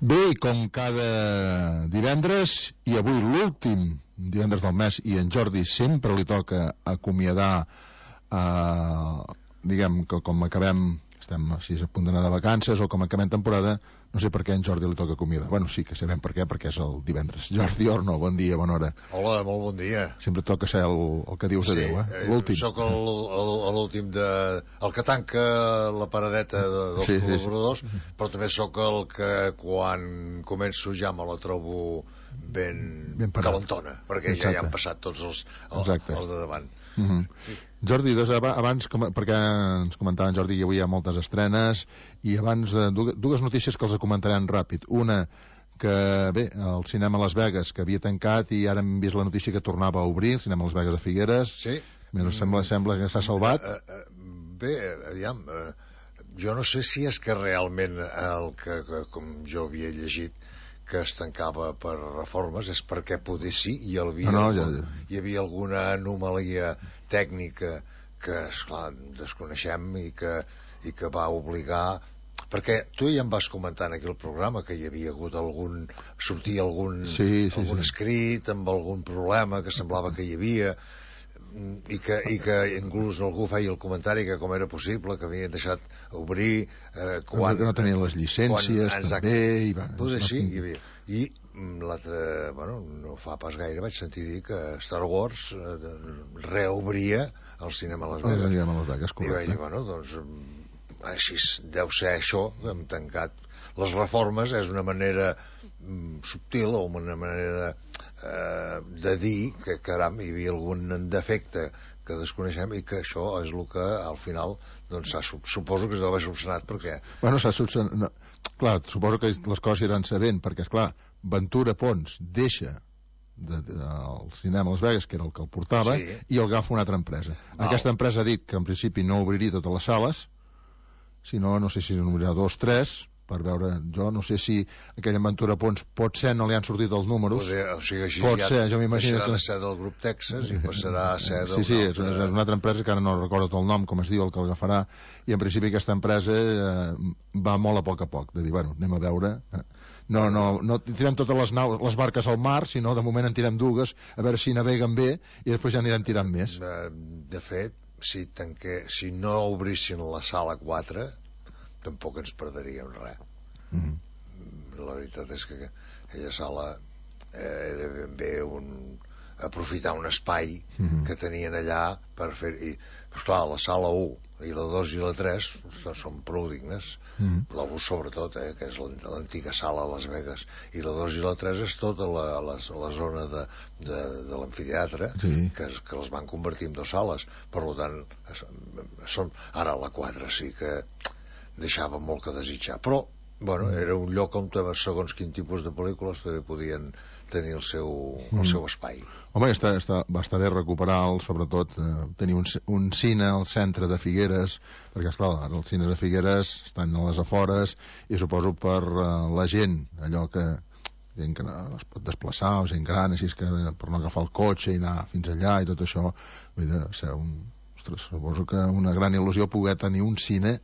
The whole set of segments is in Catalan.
Bé, com cada divendres, i avui l'últim divendres del mes, i en Jordi sempre li toca acomiadar, diguem que com acabem, estem així a punt d'anar de vacances, o com acabem temporada, no sé per què a en Jordi li toca acomiadar. Bueno, sí que sabem per què, perquè és el divendres. Jordi Orno, bon dia, bona hora. Hola, molt bon dia. Sempre toca ser el que dius adéu, l'últim. Sí, sóc l'últim el que tanca la paradeta dels col·laboradors, però també sóc el que quan començo ja me la trobo ben calentona, perquè ja hi han passat tots els de davant. Jordi, abans, perquè ens comentava en Jordi que avui hi ha moltes estrenes, i abans dues notícies que els comentarem ràpid. Una, que bé, el cinema Las Vegas, que havia tancat, i ara hem vist la notícia que tornava a obrir, el cinema Las Vegas de Figueres. Sí. Sembla que s'ha salvat. Bé, aviam, jo no sé si és que realment el que com jo havia llegit, que es tancava per reformes, és perquè poder sí, hi havia alguna anomalia tècnica que, esclar, desconeixem i que va obligar, perquè tu ja em vas comentant aquí el programa que hi havia hagut algun escrit amb algun problema que semblava que hi havia, i que inclús algú feia el comentari que com era possible que havien deixat obrir quan no tenien les llicències també, poder sí, hi havia. I l'altre, bueno, no fa pas gaire vaig sentir dir que Star Wars reobria el cinema a Las Vegas, i vaig dir, bueno, doncs així deu ser això, hem tancat les reformes, és una manera subtil o una manera de dir que, caram, hi havia algun defecte que desconeixem i que això és el que al final doncs suposo que es deu haver solucionat, perquè bueno, s'ha solucionat, clar, suposo que les coses iran sabent, perquè esclar, Ventura Pons deixa el cinema Las Vegas, que era el que el portava, sí, i el agafa una altra empresa. Aquesta empresa ha dit que en principi no obriria totes les sales, sinó, no sé si n'obrirà 2 o 3, per veure, jo no sé si aquella Ventura Pons pot ser, no li han sortit els números, o sigui, així pot ser, jo m'imagino deixarà de ser del grup Texas i passarà a ser sí, és una altra empresa que ara no recordo tot el nom, com es diu, el que l'agafarà, i en principi aquesta empresa va molt a poc, de dir, bueno, anem a veure, no tirem totes les barques al mar, sinó de moment en tirem dues, a veure si naveguen bé i després ja aniran tirant més. De fet, si no obrissin la sala 4 tampoc ens perderíem res. La veritat és que aquella sala era ben bé aprofitar un espai que tenien allà per fer... Però clar, la sala 1 i la 2 i la 3 són prou dignes. La 1 sobretot, que és l'antiga sala a Las Vegas, i la 2 i la 3 és tota la zona de l'amfiteatre, que les van convertir en 2 sales. Per tant, ara la 4 sí que deixava molt que desitjar, però bueno, era un lloc on segons quin tipus de pel·lícules també podien tenir el seu espai. Home, va estar bé recuperar sobretot tenir un cine al centre de Figueres, perquè esclar, ara els cines de Figueres estan a les afores, i suposo per la gent, allò que gent que no es pot desplaçar, o gent gran, així que per no agafar el cotxe i anar fins allà i tot això, vull dir, suposo que una gran il·lusió poder tenir un cine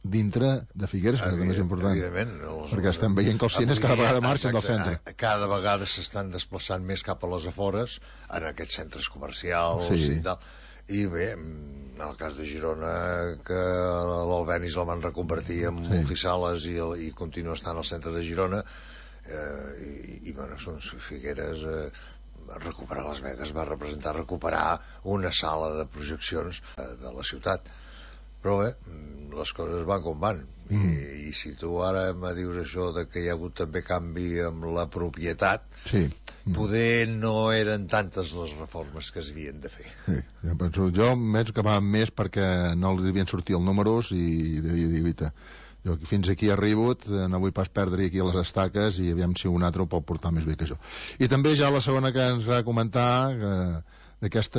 dintre de Figueres, que és important, perquè estem veient que els cines cada vegada marxen del centre, cada vegada s'estan desplaçant més cap a les afores, en aquests centres comercials i tal. I bé, en el cas de Girona, que l'Albenis el van reconvertir en multisales i continua estant al centre de Girona, i bueno, Figueres recuperar Las Vegas va representar recuperar una sala de projeccions de la ciutat. Però bé, les coses van com van, i si tu ara me dius això de que hi ha hagut també canvi amb la propietat, poder no eren tantes les reformes que s'havien de fer. Jo penso que va més perquè no li devien sortir els números i devia dir, jo fins aquí he arribat, no vull pas perdre aquí les estaques, i aviam si un altre ho pot portar més bé que jo. I també ja la segona que ens va comentar, d'aquest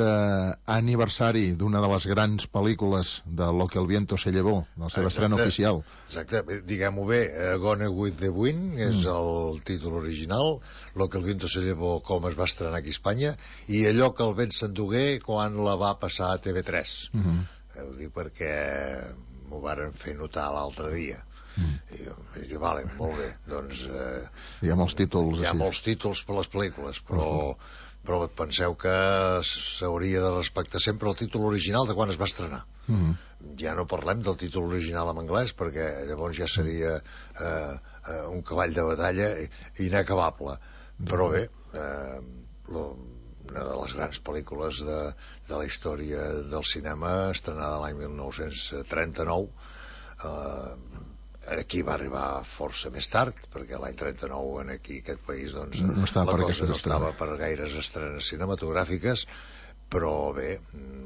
aniversari d'una de les grans pel·lícules de Lo que el viento se llevó, de la seva estrena oficial. Exacte, diguem-ho bé, Gone with the Wind és el títol original, Lo que el viento se llevó com es va estrenar aquí a Espanya, i Allò que el vent s'endugué quan la va passar a TV3. Ho dic perquè m'ho varen fer notar l'altre dia. I dic, vale, molt bé, doncs... Hi ha molts títols. Hi ha molts títols per les pel·lícules, però penseu que s'hauria de respectar sempre el títol original de quan es va estrenar. Ja no parlem del títol original en anglès, perquè llavors ja seria un cavall de batalla inacabable. Però bé, una de les grans pel·lícules de la història del cinema, estrenada l'any 1939, aquí va arribar força més tard, perquè l'any 39 aquí, aquest país, doncs, no la cosa no estava per gaires estrenes cinematogràfiques, però bé,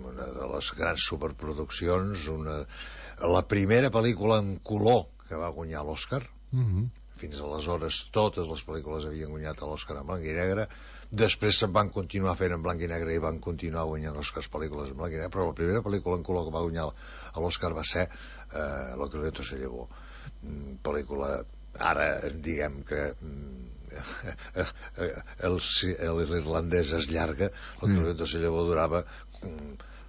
una de les grans superproduccions, la primera pel·lícula en color que va guanyar l'Oscar. Fins aleshores totes les pel·lícules havien guanyat l'Oscar en blanc i negre, després se'n van continuar fent en blanc i negre i van continuar guanyant Oscars pel·lícules en blanc i negre, però la primera pel·lícula en color que va guanyar l'Oscar va ser Lo que el viento se llevó, pel·lícula, ara diguem que l'irlandès es llarga, Lo que el viento se llevó durava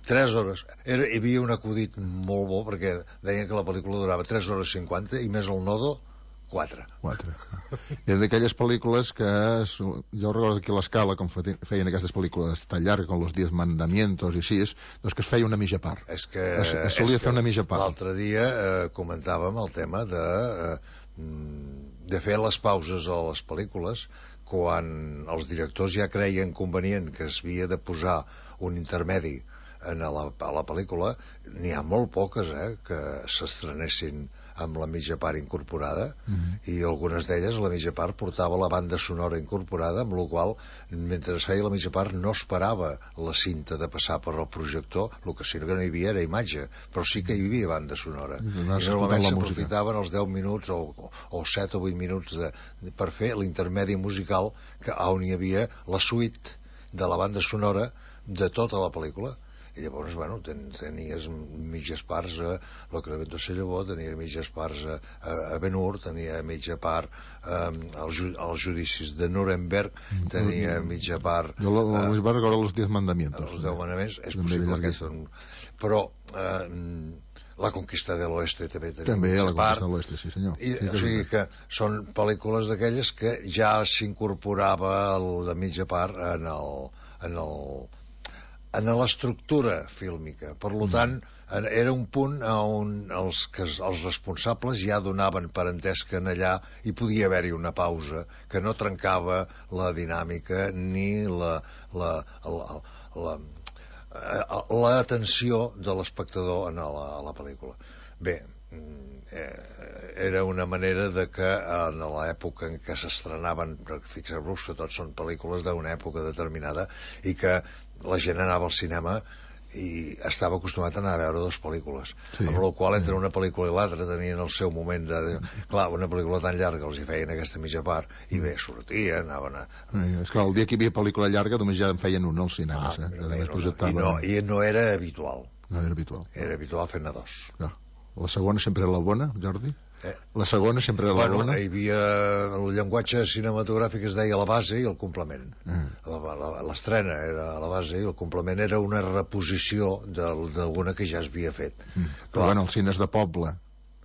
3 hores. Hi havia un acudit molt bo, perquè deien que la pel·lícula durava 3 hores 50 i més el nodo 4. Era d'aquelles pel·lícules que jo recordo aquí a l'Escala, com feien aquestes pel·lícules tan llargues com Los 10 Mandamientos i així, doncs que es feia una mitja part. Es solia fer una mitja part. L'altre dia comentàvem el tema de fer les pauses a les pel·lícules quan els directors ja creien convenient que es havia de posar un intermedi a la pel·lícula. N'hi ha molt poques que s'estrenessin amb la mitja part incorporada, i algunes d'elles la mitja part portava la banda sonora incorporada, amb la qual mentre es feia la mitja part no esperava la cinta de passar per el projector, el que sí que no hi havia era imatge, però sí que hi havia banda sonora, i normalment s'aprofitaven els 10 minuts o 7 o 8 minuts per fer l'intermedi musical, on hi havia la suite de la banda sonora de tota la pel·lícula. I llavors, bueno, tenies mitges parts a Lo que el viento se llevó, tenia mitges parts a Ben-Hur, tenia mitja part als judicis de Nuremberg, tenia mitja part... Jo vaig recordar Los 10 Mandamientos. Els 10 manaments, és possible que són... Però La conquista de l'Oeste també tenia mitja part. També La conquista de l'Oeste, sí senyor. O sigui que són pel·lícules d'aquelles que ja s'incorporava la mitja part en l'estructura fílmica. Per tant, era un punt on els responsables ja donaven per entès que en allà hi podia haver-hi una pausa que no trencava la dinàmica ni l'atenció de l'espectador a la pel·lícula. Bé, era una manera de que en l'època en què s'estrenaven, fixeu-vos que tots són pel·lícules d'una època determinada, i que la gent anava al cinema i estava acostumat a anar a veure dues pel·lícules, amb la qual entre una pel·lícula i l'altra tenien el seu moment clar, una pel·lícula tan llarga els hi feien aquesta mitja part i bé, sortien, anaven esclar, el dia que hi havia pel·lícula llarga només ja en feien una als cinemes, i no era habitual. No era habitual. Era habitual fer-ne dos. La segona sempre era la bona, Jordi? La segona sempre era la bona? Hi havia el llenguatge cinematogràfic, es deia la base i el complement. L'estrena era la base i el complement era una reposició d'alguna que ja es havia fet. Però bueno, els cines de poble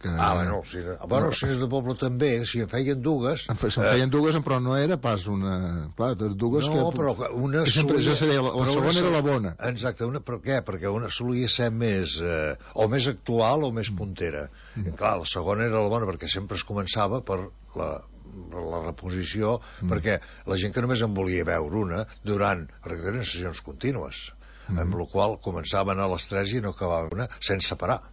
els cines de poble també, si en feien dues... Se'n feien dues, però no era pas una... Clar, dues que... No, però una solia... La segona era la bona. Exacte, per què? Perquè una solia ser més... o més actual o més puntera. Clar, la segona era la bona perquè sempre es començava per la reposició, perquè la gent que només en volia veure una perquè eren sessions contínues, amb la qual començaven a les 3 i no acabaven una sense parar.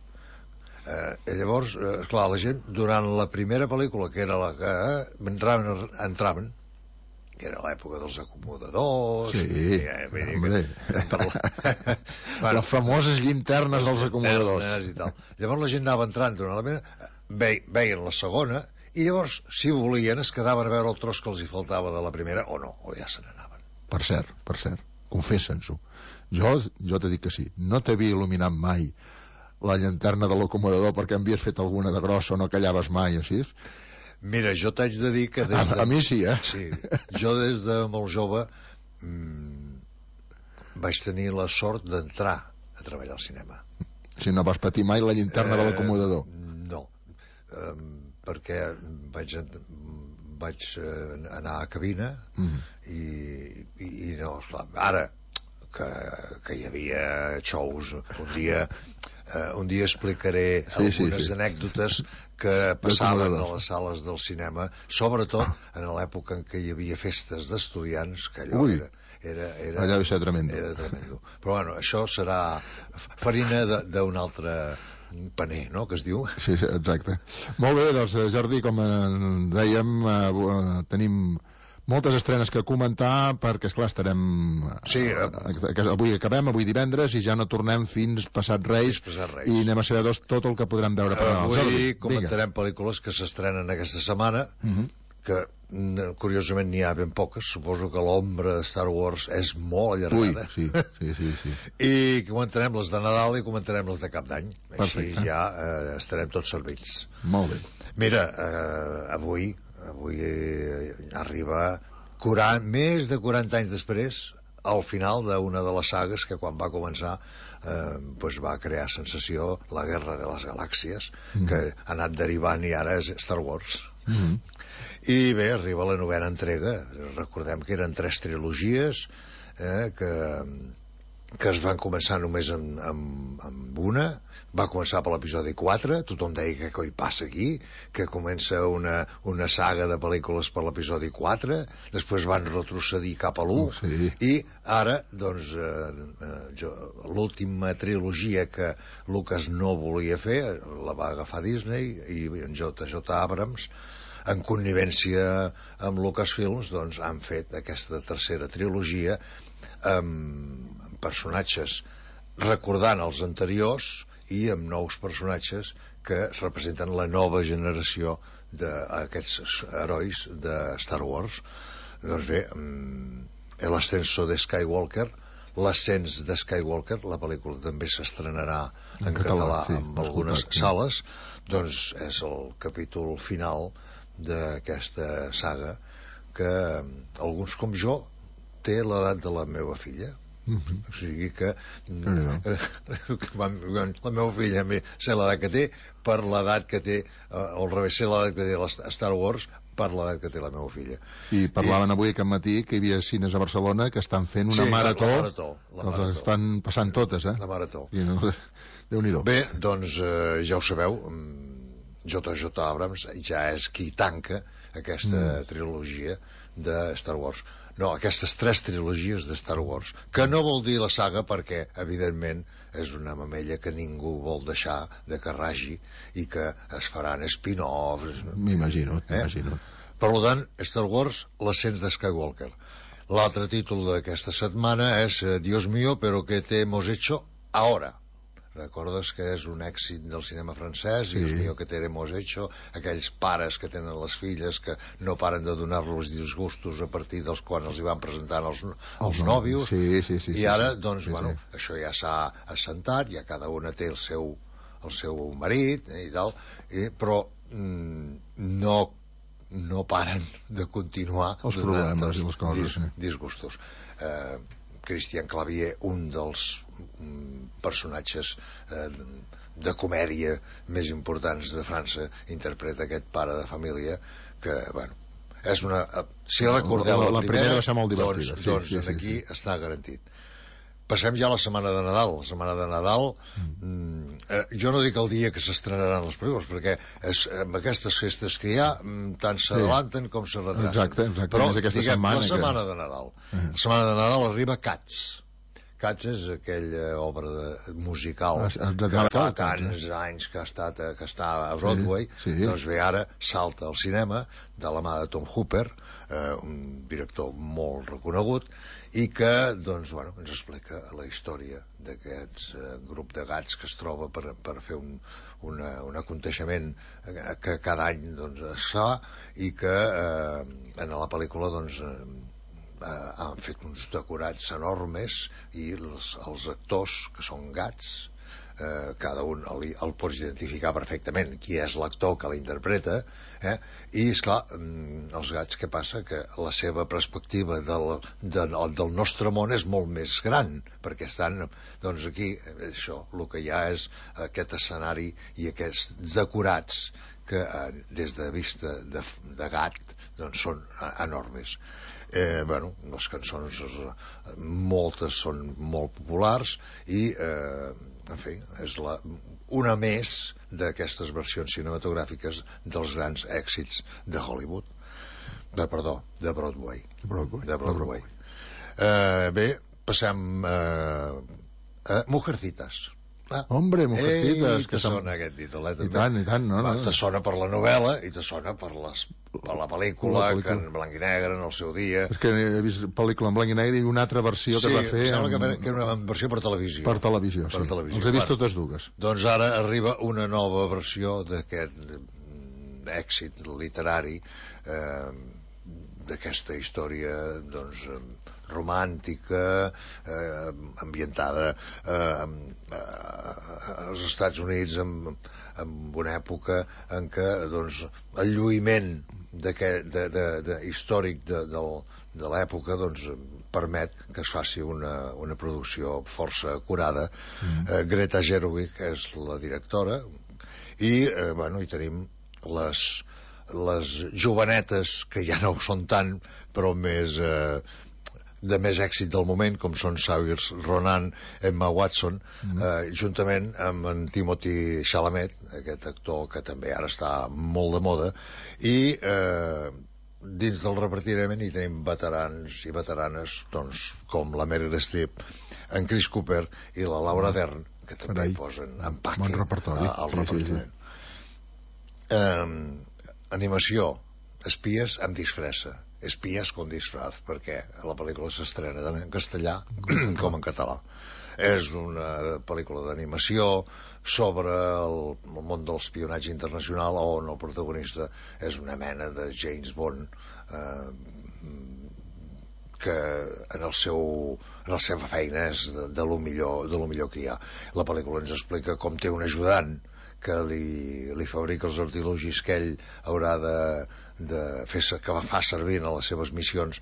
Llavors, clar, la gent durant la primera pel·lícula, que era la que entraven, que era l'època dels acomodadors, les famoses llinternes dels acomodadors i tal. Llavors la gent anava entrant durant la primera, veien la segona i llavors, si volien, es quedaven a veure el tros que els hi faltava de la primera o no, o ja se n'anaven. Per cert, confessa'ns-ho, jo t'he dit que sí, no t'havia il·luminat mai la llanterna de l'acomodador perquè havies fet alguna de grossa o no callaves mai, així? Mira, jo t'haig de dir que a mi sí, Sí, jo des de molt jove vaig tenir la sort d'entrar a treballar al cinema. Si no vas patir mai la llanterna de l'acomodador? No. perquè vaig anar a cabina i no, esclar, ara que hi havia shows un dia explicaré algunes anècdotes que passaven a les sales del cinema, sobretot en l'època en què hi havia festes d'estudiants, que allò allà deu ser tremendo. Era tremendo. Però bueno, això serà farina d'un altre paner, no?, que es diu. Sí, exacte. Molt bé, doncs, Jordi, com dèiem, tenim moltes estrenes que comentar, perquè, esclar, estarem... Sí. Avui acabem, avui divendres, i ja no tornem fins passat Reis, i anem a saber tot el que podrem veure per al Jordi. Avui comentarem pel·lícules que s'estrenen aquesta setmana, que curiosament n'hi ha ben poques. Suposo que l'ombra de Star Wars és molt allargada. Sí. I comentarem les de Nadal i comentarem les de Cap d'Any. Així ja estarem tots servits. Molt bé. Mira, avui arriba més de 40 anys després al final d'una de les sagues que quan va començar va crear sensació, la Guerra de les Galàxies, que ha anat derivant i ara és Star Wars. I bé, arriba la 9ª entrega. Recordem que eren 3 trilogies que es van començar només amb una. Va començar per l'episodi 4, tothom deia que coi passa aquí, que comença una saga de pel·lícules per l'episodi 4, després van retrocedir cap a l'1, i ara, doncs, l'última trilogia que Lucas no volia fer, la va agafar Disney, i en J.J. Abrams, en connivència amb Lucasfilms, doncs han fet aquesta tercera trilogia amb personatges recordant els anteriors i amb nous personatges que representen la nova generació d'aquests herois de Star Wars. Doncs bé, El ascenso de Skywalker, l'ascens de Skywalker, la pel·lícula també s'estrenarà en català amb algunes sales, doncs és el capítol final d'aquesta saga que alguns com jo té l'edat de la meva filla. O sigui que la meva filla sé l'edat que té per l'edat que té, o al revés, sé l'edat que té Star Wars per l'edat que té la meva filla. I parlaven avui aquest matí que hi havia cines a Barcelona que estan fent una marató. La marató. Les estan passant totes, La marató. Déu-n'hi-do. Bé, doncs ja ho sabeu, J.J. Abrams ja és qui tanca aquesta trilogia de Star Wars. No, aquestes 3 trilogies de Star Wars, que no vol dir la saga perquè, evidentment, és una mamella que ningú vol deixar de que ragi i que es faran spin-offs. M'imagino. Per tant, Star Wars, l'ascens de Skywalker. L'altre títol d'aquesta setmana és Dios mío, pero ¿qué te hemos hecho ahora? Recordes que és un èxit del cinema francès, Dios mío, que te hemos hecho, aquells pares que tenen les filles que no paren de donar-los disgustos a partir dels quan els hi van presentant els nòvios, i ara, doncs, bueno, això ja s'ha assentat, ja cada una té el seu marit i tal, però no paren de continuar els problemes i les coses, disgustos. Christian Clavier, un dels personatges de comèdia més importants de França, interpreta aquest pare de família que, bueno, és una... Si recordeu la primera va ser molt divertida. Doncs aquí està garantit. Passem ja a la setmana de Nadal. La setmana de Nadal, jo no dic el dia que s'estrenaran les pel·lícules, perquè amb aquestes festes que hi ha, tant s'adelanten com se retrasen. Exacte. Però, diguem, la setmana de Nadal. La setmana de Nadal arriba Cats. Cats és aquella obra musical que fa tants anys que està a Broadway. Doncs bé, ara salta al cinema de la mà de Tom Hooper, un director molt reconegut, i que, doncs, bueno, ens explica la història d'aquest grup de gats que es troba per fer un aconteixement que cada any, doncs, es fa, i que en la pel·lícula, doncs, han fet uns decorats enormes, i els actors, que són gats, cada un el pots identificar perfectament qui és l'actor que l'interpreta, i esclar, els gats, què passa? Que la seva perspectiva del nostre món és molt més gran, perquè estan, doncs, aquí això, el que hi ha és aquest escenari i aquests decorats que des de vista de gat doncs són enormes. Les cançons moltes són molt populars i en fi, és una més d'aquestes versions cinematogràfiques dels grans èxits de Hollywood, de Broadway. Bé, passem a Mujercitas. Hombre, Mujercitas, que sona aquest títol, I tant, no? Te sona per la novel·la i te sona per la pel·lícula, que en blanc i negre en el seu dia. És que he vist pel·lícula en blanc i negre i una altra versió que va fer... Sí, sembla que era una versió per televisió. Per televisió, sí. Els he vist totes dues. Doncs ara arriba una nova versió d'aquest èxit literari, d'aquesta història, doncs, romàntica, ambientada als Estats Units en una època en què doncs, el lluïment històric de l'època doncs, permet que es faci una producció força acurada. Greta Gerwig és la directora i hi tenim les jovenetes que ja no ho són tant però de més èxit del moment, com són Saoirse Ronan, Emma Watson, juntament amb en Timothée Chalamet, aquest actor que també ara està molt de moda, i dins del repartiment hi tenim veterans i veteranes doncs, com la Meryl Streep, en Chris Cooper i la Laura Dern, que també posen empaque al repartiment. Animació, espies amb disfressa, espies con disfraz, perquè la pel·lícula s'estrena tant en castellà com en català. És una pel·lícula d'animació sobre el món de l'espionatge internacional, on el protagonista és una mena de James Bond que en la seva feina és de lo millor que hi ha. La pel·lícula ens explica com té un ajudant que li fabrica els artilugis que ell haurà de fer, que fa servir en les seves missions,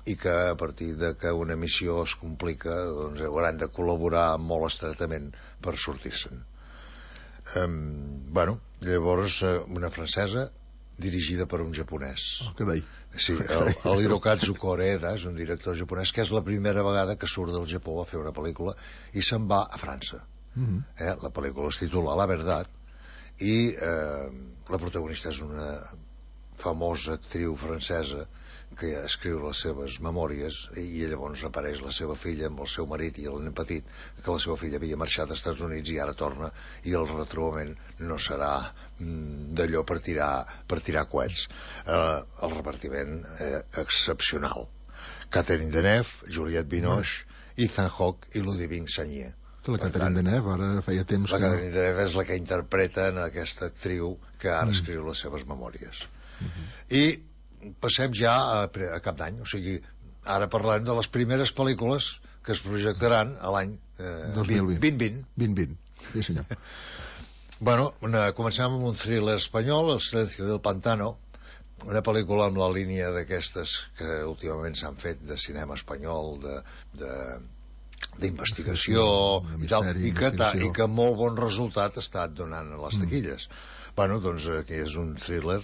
i que a partir de que una missió es complica doncs hauran de col·laborar molt estretament per sortir-se'n. Llavors una francesa dirigida per un japonès. Carai. Sí, el Hirokazu Koreeda és un director japonès que és la primera vegada que surt del Japó a fer una pel·lícula i se'n va a França. La pel·lícula es titula La Verdad i la protagonista és una famosa actriu francesa que escriu les seves memòries i llavors apareix la seva filla amb el seu marit i el nen petit, que la seva filla havia marxat als Estats Units i ara torna, i el retrobament no serà d'allò per tirar coets. El repartiment excepcional: Catherine Deneuve, Juliette Binoche, Ethan Hawke i Ludivine Sagnier. La Catherine Deneuve ara feia temps que... La Catherine Deneuve és la que interpreta en aquesta actriu que ara escriu les seves memòries. I passem ja a cap d'any, o sigui, ara parlem de les primeres pel·lícules que es projectaran a l'any 2020. 2020, sí senyor. Comencem amb un thriller espanyol, El silencio del pantano, una pel·lícula amb la línia d'aquestes que últimament s'han fet de cinema espanyol, d'investigació i tal, i que molt bon resultat ha estat donant a les taquilles. Doncs aquí és un thriller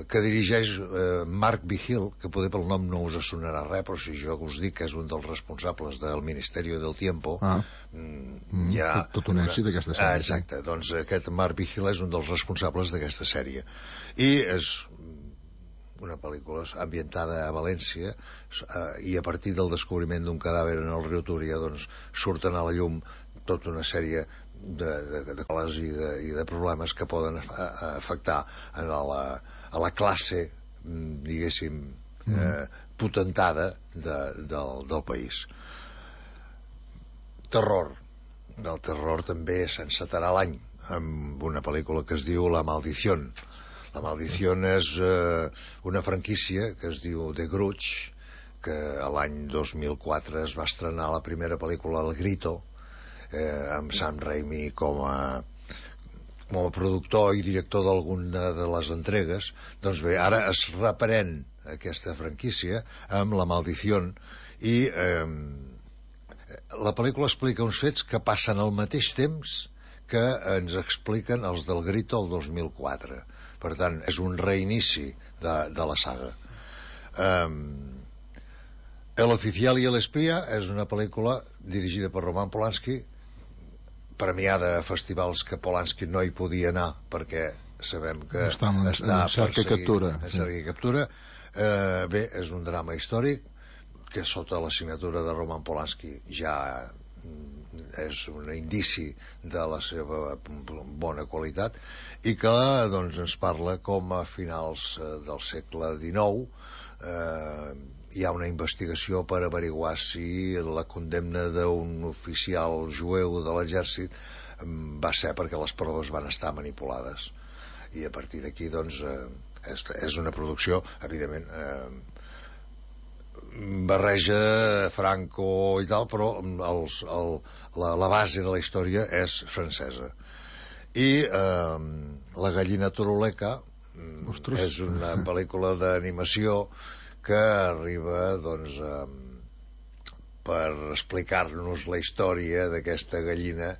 que dirigeix Mark Vigil, que poder pel nom no us sonarà res, però si jo us dic que és un dels responsables del Ministerio del Tiempo, tot un èxit d'aquesta sèrie. Exacte, doncs aquest Mark Vigil és un dels responsables d'aquesta sèrie i és una pel·lícula ambientada a València, i a partir del descobriment d'un cadàver en el riu Túria doncs surten a la llum tota una sèrie de coses i de problemes que poden afectar a la classe, diguéssim, potentada del país. Terror. Del terror també s'encetarà l'any amb una pel·lícula que es diu La Maldición. La Maldición és una franquícia que es diu The Grudge, que l'any 2004 es va estrenar la primera pel·lícula El Grito, amb Sam Raimi com a productor i director d'alguna de les entregues. Doncs bé, ara es reprèn aquesta franquícia amb La Maldición i la pel·lícula explica uns fets que passen al mateix temps que ens expliquen els del Grito el 2004. Per tant, és un reinici de la saga. El oficial i l'espia és una pel·lícula dirigida per Roman Polanski, premiada a festivals que Polanski no hi podia anar perquè sabem que està en cerca i captura. Bé, és un drama històric que sota la signatura de Roman Polanski ja és un indici de la seva bona qualitat i que doncs, ens parla com a finals del segle XIX hi ha una investigació per averiguar si la condemna d'un oficial jueu de l'exèrcit va ser perquè les proves van estar manipulades, i a partir d'aquí doncs és una producció evidentment barreja Franco i tal, però la base de la història és francesa. I La gallina turuleca és una pel·lícula d'animació que arriba doncs per explicar-nos la història d'aquesta gallina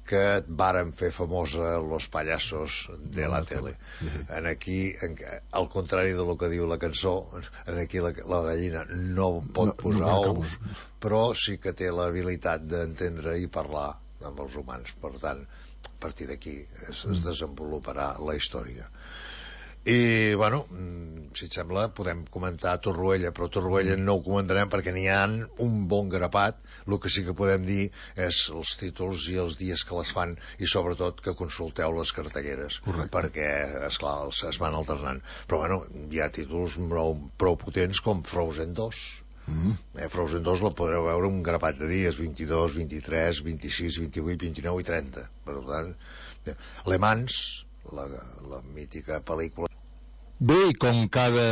que varen fer famosa los payasos de la tele. Aquí, al contrari del que diu la cançó, aquí la gallina no pot posar ous, però sí que té l'habilitat d'entendre i parlar amb els humans. Per tant, a partir d'aquí es desenvoluparà la història. I, bueno, si et sembla, podem comentar Torroella, però Torroella no ho comentarem perquè n'hi ha un bon grapat. El que sí que podem dir és els títols i els dies que les fan, i sobretot que consulteu les cartelleres. Correcte. Perquè, esclar, es van alternant. Però, bueno, hi ha títols prou potents com Frozen 2. Frozen 2 la podreu veure un grapat de dies, 22, 23, 26, 28, 29 i 30. Per tant, Le Mans, la mítica pel·lícula. Bé, i com cada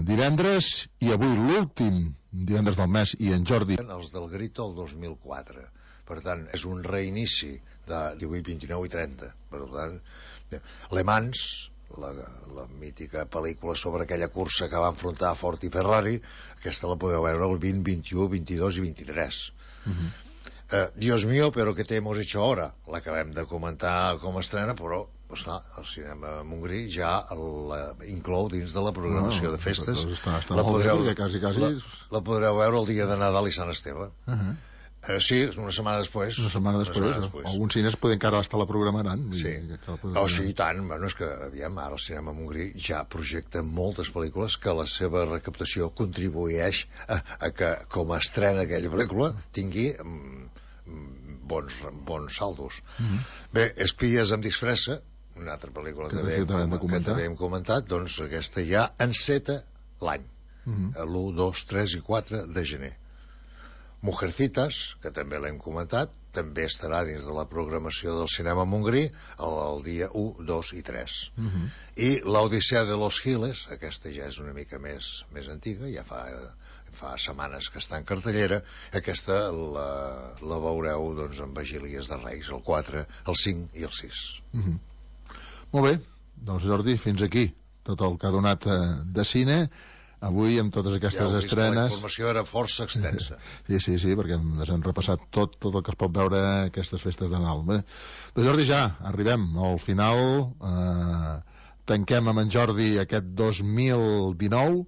divendres, i avui l'últim divendres del mes, i en Jordi... Els del Grito el 2004. Per tant, és un reinici de 18, 29 i 30. Per tant, Le Mans, la mítica pel·lícula sobre aquella cursa que va enfrontar Ford i Ferrari, aquesta la podeu veure el 20, 21, 22 i 23. Dios mío, pero ¿qué te hemos hecho ahora? L'acabem de comentar com a estrena, però pues clar, el cinema Montgrí ja inclou dins de la programació de festes. Està molt bé, quasi. La podreu veure el dia de Nadal i Sant Esteve. Sí, una setmana després. Alguns cines poden encara estar la programaran. Sí, i tant. Bueno, és que, aviam, ara el cinema Montgrí ja projecta moltes pel·lícules que la seva recaptació contribueix a que, com a estrena aquella pel·lícula, tingui bons saldos. Bé, Espies amb disfressa, una altra pel·lícula que també hem comentat, doncs aquesta ja enceta l'any, l'1, 2, 3 i 4 de gener. Mujercitas, que també l'hem comentat, també estarà dins de la programació del cinema Montgrí el dia 1, 2 i 3. I l'Odissea de los Giles, aquesta ja és una mica més antiga, ja fa setmanes que està en cartellera. Aquesta la veureu doncs, en Vigílies de Reis, el 4, el 5 i el 6. Molt bé, doncs Jordi, fins aquí tot el que ha donat de cine avui amb totes aquestes estrenes. La informació era força extensa. Sí, perquè ens han repassat tot el que es pot veure aquestes festes de Nadal. Bé, doncs Jordi, ja arribem al final. Tanquem amb en Jordi aquest 2019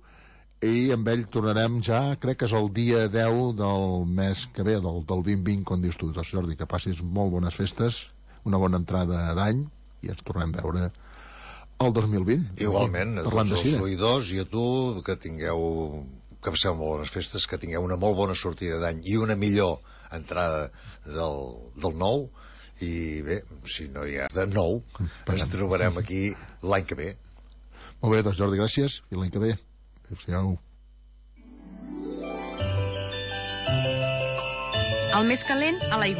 i amb ell tornarem ja, crec que és el dia 10 del mes que ve, del 2020, com dius tu. Doncs Jordi, que passis molt bones festes, una bona entrada d'any i ens tornem a veure el 2020. Igualment, a tots els oïdors i a tu, que passeu molt bones festes, que tingueu una molt bona sortida d'any i una millor entrada del nou. I bé, si no hi ha de nou, ens trobarem aquí l'any que ve. Molt bé, doncs Jordi, gràcies, i l'any que ve. Adéu-siau. El més calent a l'aigüera.